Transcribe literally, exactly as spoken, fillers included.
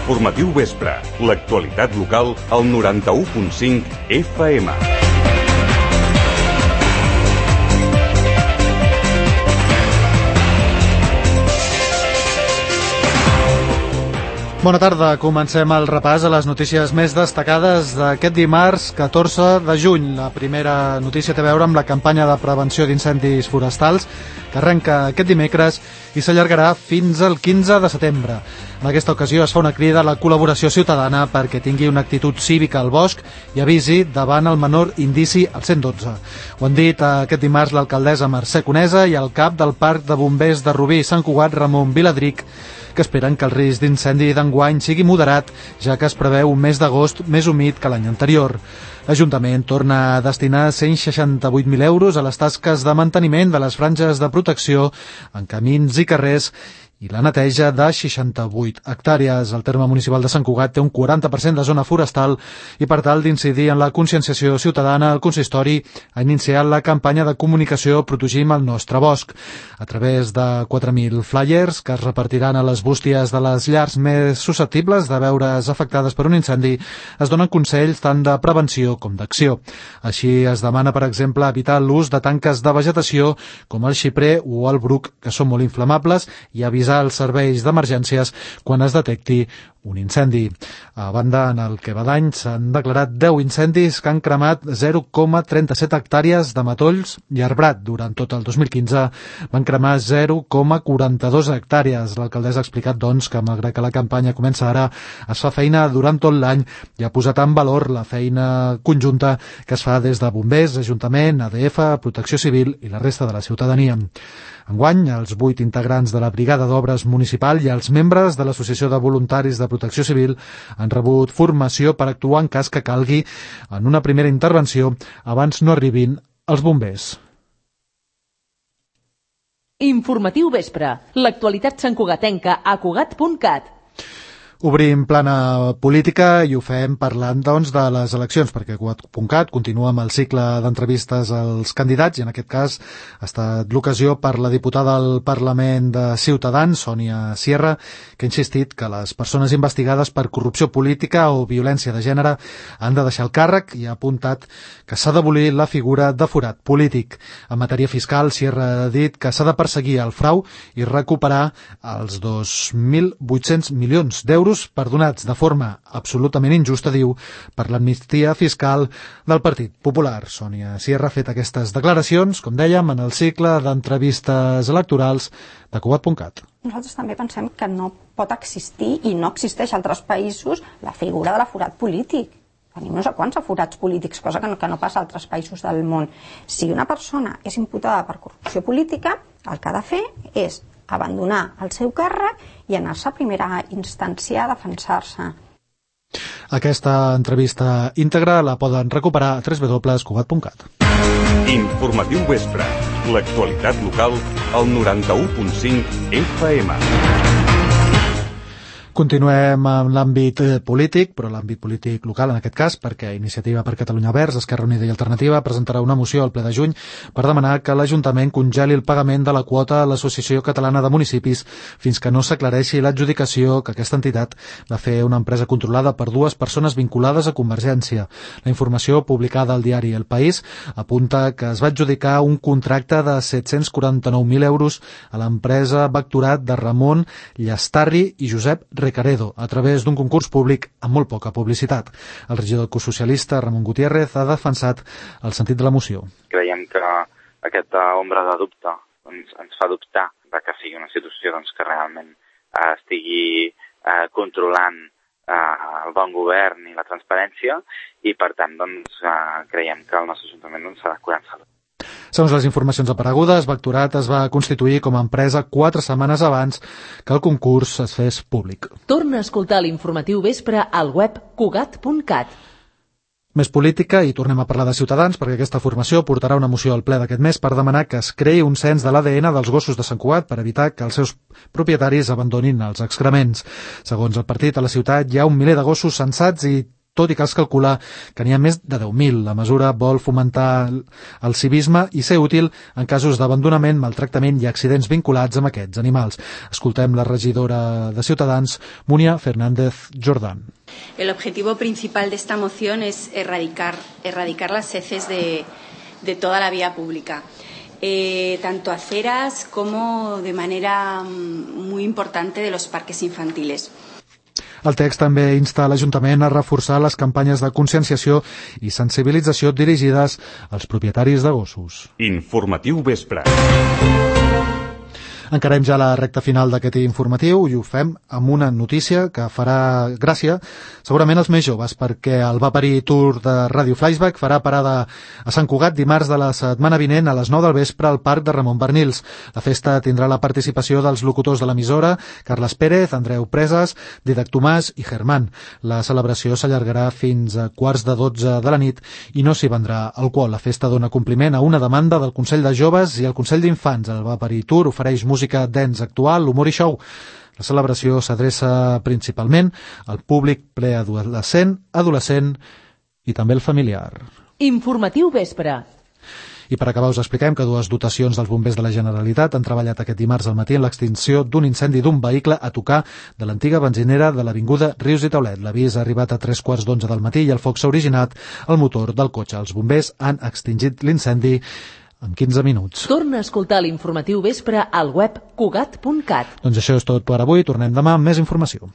Informatiu Vespre, l'actualitat local al noranta-u punt cinc F M. Bona tarda, comencem el repàs a les notícies més destacades d'aquest dimarts catorze de juny. La primera notícia té a veure amb la campanya de prevenció d'incendis forestals que arrenca aquest dimecres i s'allargarà fins al quinze de setembre. En aquesta ocasió es fa una crida a la col·laboració ciutadana perquè tingui una actitud cívica al bosc i avisi davant el menor indici al cent dotze. Ho han dit aquest dimarts l'alcaldessa Mercè Conesa i el cap del Parc de Bombers de Rubí i Sant Cugat, Ramon Viladric, que esperen que el risc d'incendi d'enguany sigui moderat, ja que es preveu un mes d'agost més humit que l'any anterior. L'Ajuntament torna a destinar cent seixanta-vuit mil euros a les tasques de manteniment de les franges de protecció en camins i carrers i la neteja de seixanta-vuit hectàrees. El terme municipal de Sant Cugat té un quaranta per cent de zona forestal i per tal d'incidir en la conscienciació ciutadana, el consistori ha iniciat la campanya de comunicació Protegim el nostre bosc a través de quatre mil flyers que es repartiran a les bústies de les llars més susceptibles de veure's afectades per un incendi. Es donen consells tant de prevenció com d'acció. Així es demana, per exemple, evitar l'ús de tanques de vegetació com el xiprer o el bruc, que són molt inflamables, i avisar als serveis d'emergències quan es detecti un incendi. A banda, en el que va d'any s'han declarat deu incendis que han cremat zero coma trenta-set hectàrees de matolls i arbrat. Durant tot el dos mil quinze van cremar zero coma quaranta-dos hectàrees. L'alcaldessa ha explicat, doncs, que malgrat que la campanya comença ara, es fa feina durant tot l'any i ha posat en valor la feina conjunta que es fa des de bombers, Ajuntament, A D F, Protecció Civil i la resta de la ciutadania. Enguany, els vuit integrants de la Brigada d'Obres Municipal i els membres de l'Associació de Voluntaris de Protecció Civil han rebut formació per actuar en cas que calgui en una primera intervenció abans no arribin els bombers. Informatiu Vespre, l'actualitat santcugatenca a cugat punt cat. Obrim plana política i ho fem parlant, doncs, de les eleccions, perquè cugat punt cat continua amb el cicle d'entrevistes als candidats i en aquest cas ha estat l'ocasió per la diputada al Parlament de Ciutadans, Sònia Sierra, que ha insistit que les persones investigades per corrupció política o violència de gènere han de deixar el càrrec i ha apuntat que s'ha d'abolir la figura de forat polític. En matèria fiscal, Sierra ha dit que s'ha de perseguir el frau i recuperar els dos mil vuit-cents milions d'euros perdonats de forma absolutament injusta, diu, per l'amnistia fiscal del Partit Popular. Sònia Sierra ha fet aquestes declaracions, com dèiem, en el cicle d'entrevistes electorals de cugat punt cat. Nosaltres també pensem que no pot existir i no existeix a altres països la figura de l'aforat polític. Tenim no sé quants aforats polítics, cosa que no, que no passa a altres països del món. Si una persona és imputada per corrupció política, el que ha de fer és abandonar el seu càrrec i anar-se a primera instància a defensar-se. Aquesta entrevista íntegra la poden recuperar a w w w punt cugat punt cat. Informatiu Vespre, l'actualitat local al noranta-u punt cinc F M. Continuem amb l'àmbit polític, però l'àmbit polític local en aquest cas, perquè Iniciativa per Catalunya Verds, Esquerra Unida i Alternativa presentarà una moció al ple de juny per demanar que l'Ajuntament congeli el pagament de la quota a l'Associació Catalana de Municipis fins que no s'aclareixi l'adjudicació que aquesta entitat va fer una empresa controlada per dues persones vinculades a Convergència. La informació publicada al diari El País apunta que es va adjudicar un contracte de set-cents quaranta-nou mil euros a l'empresa Vectorat de Ramon Llastarri i Josep Recaredo, a través d'un concurs públic amb molt poca publicitat. El regidor ecosocialista Ramon Gutiérrez ha defensat el sentit de la moció. Creiem que aquesta ombra de dubte doncs, ens fa dubtar de que sigui una institució doncs, que realment eh, estigui eh, controlant eh, el bon govern i la transparència i, per tant, doncs, eh, creiem que el nostre Ajuntament doncs, s'ha de curar en salut. Segons les informacions aparegudes, Vectorat es va constituir com a empresa quatre setmanes abans que el concurs es fes públic. Torna a escoltar l'informatiu Vespre al web cugat punt cat. Més política i tornem a parlar de Ciutadans perquè aquesta formació portarà una moció al ple d'aquest mes per demanar que es creï un cens de l'A D N dels gossos de Sant Cugat per evitar que els seus propietaris abandonin els excrements. Segons el partit, a la ciutat hi ha un miler de gossos censats i tot i que es calcula que n'hi ha més de deu mil. La mesura vol fomentar el civisme i ser útil en casos d'abandonament, maltractament i accidents vinculats amb aquests animals. Escoltem la regidora de Ciutadans, Múnia Fernández Jordán. El objetivo principal de esta moción es erradicar, erradicar las heces de, de toda la vía pública. Eh, tanto aceras como de manera muy importante de los parques infantiles. El text també insta l'Ajuntament a reforçar les campanyes de conscienciació i sensibilització dirigides als propietaris de gossos. Informatiu Vespre. Encarem ja la recta final d'aquest informatiu i ho fem amb una notícia que farà gràcia segurament als més joves, perquè el Va parir Tour de Ràdio Flashback farà parada a Sant Cugat dimarts de la setmana vinent a les nou del vespre al Parc de Ramon Bernils. La festa tindrà la participació dels locutors de l'emissora, Carles Pérez, Andreu Presas, Didac Tomàs i Germán. La celebració s'allargarà fins a quarts de dotze de la nit i no s'hi vendrà alcohol. La festa dona compliment a una demanda del Consell de Joves i el Consell d'Infants. El Va parir Tour ofereix música dance actual, humor i show. La celebració s'adreça principalment al públic preadolescent, adolescent i també el familiar. Informatiu Vespre. I per acabar us expliquem que dues dotacions dels bombers de la Generalitat han treballat aquest dimarts al matí en l'extinció d'un incendi d'un vehicle a tocar de l'antiga benzinera de l'avinguda Rius i Taulet. L'avís ha arribat a tres quarts d'onze del matí i el foc s'ha originat al motor del cotxe. Els bombers han extingit l'incendi en quinze minuts. Torna a escoltar l'informatiu Vespre al web cugat punt cat. Doncs això és tot per avui. Tornem demà amb més informació.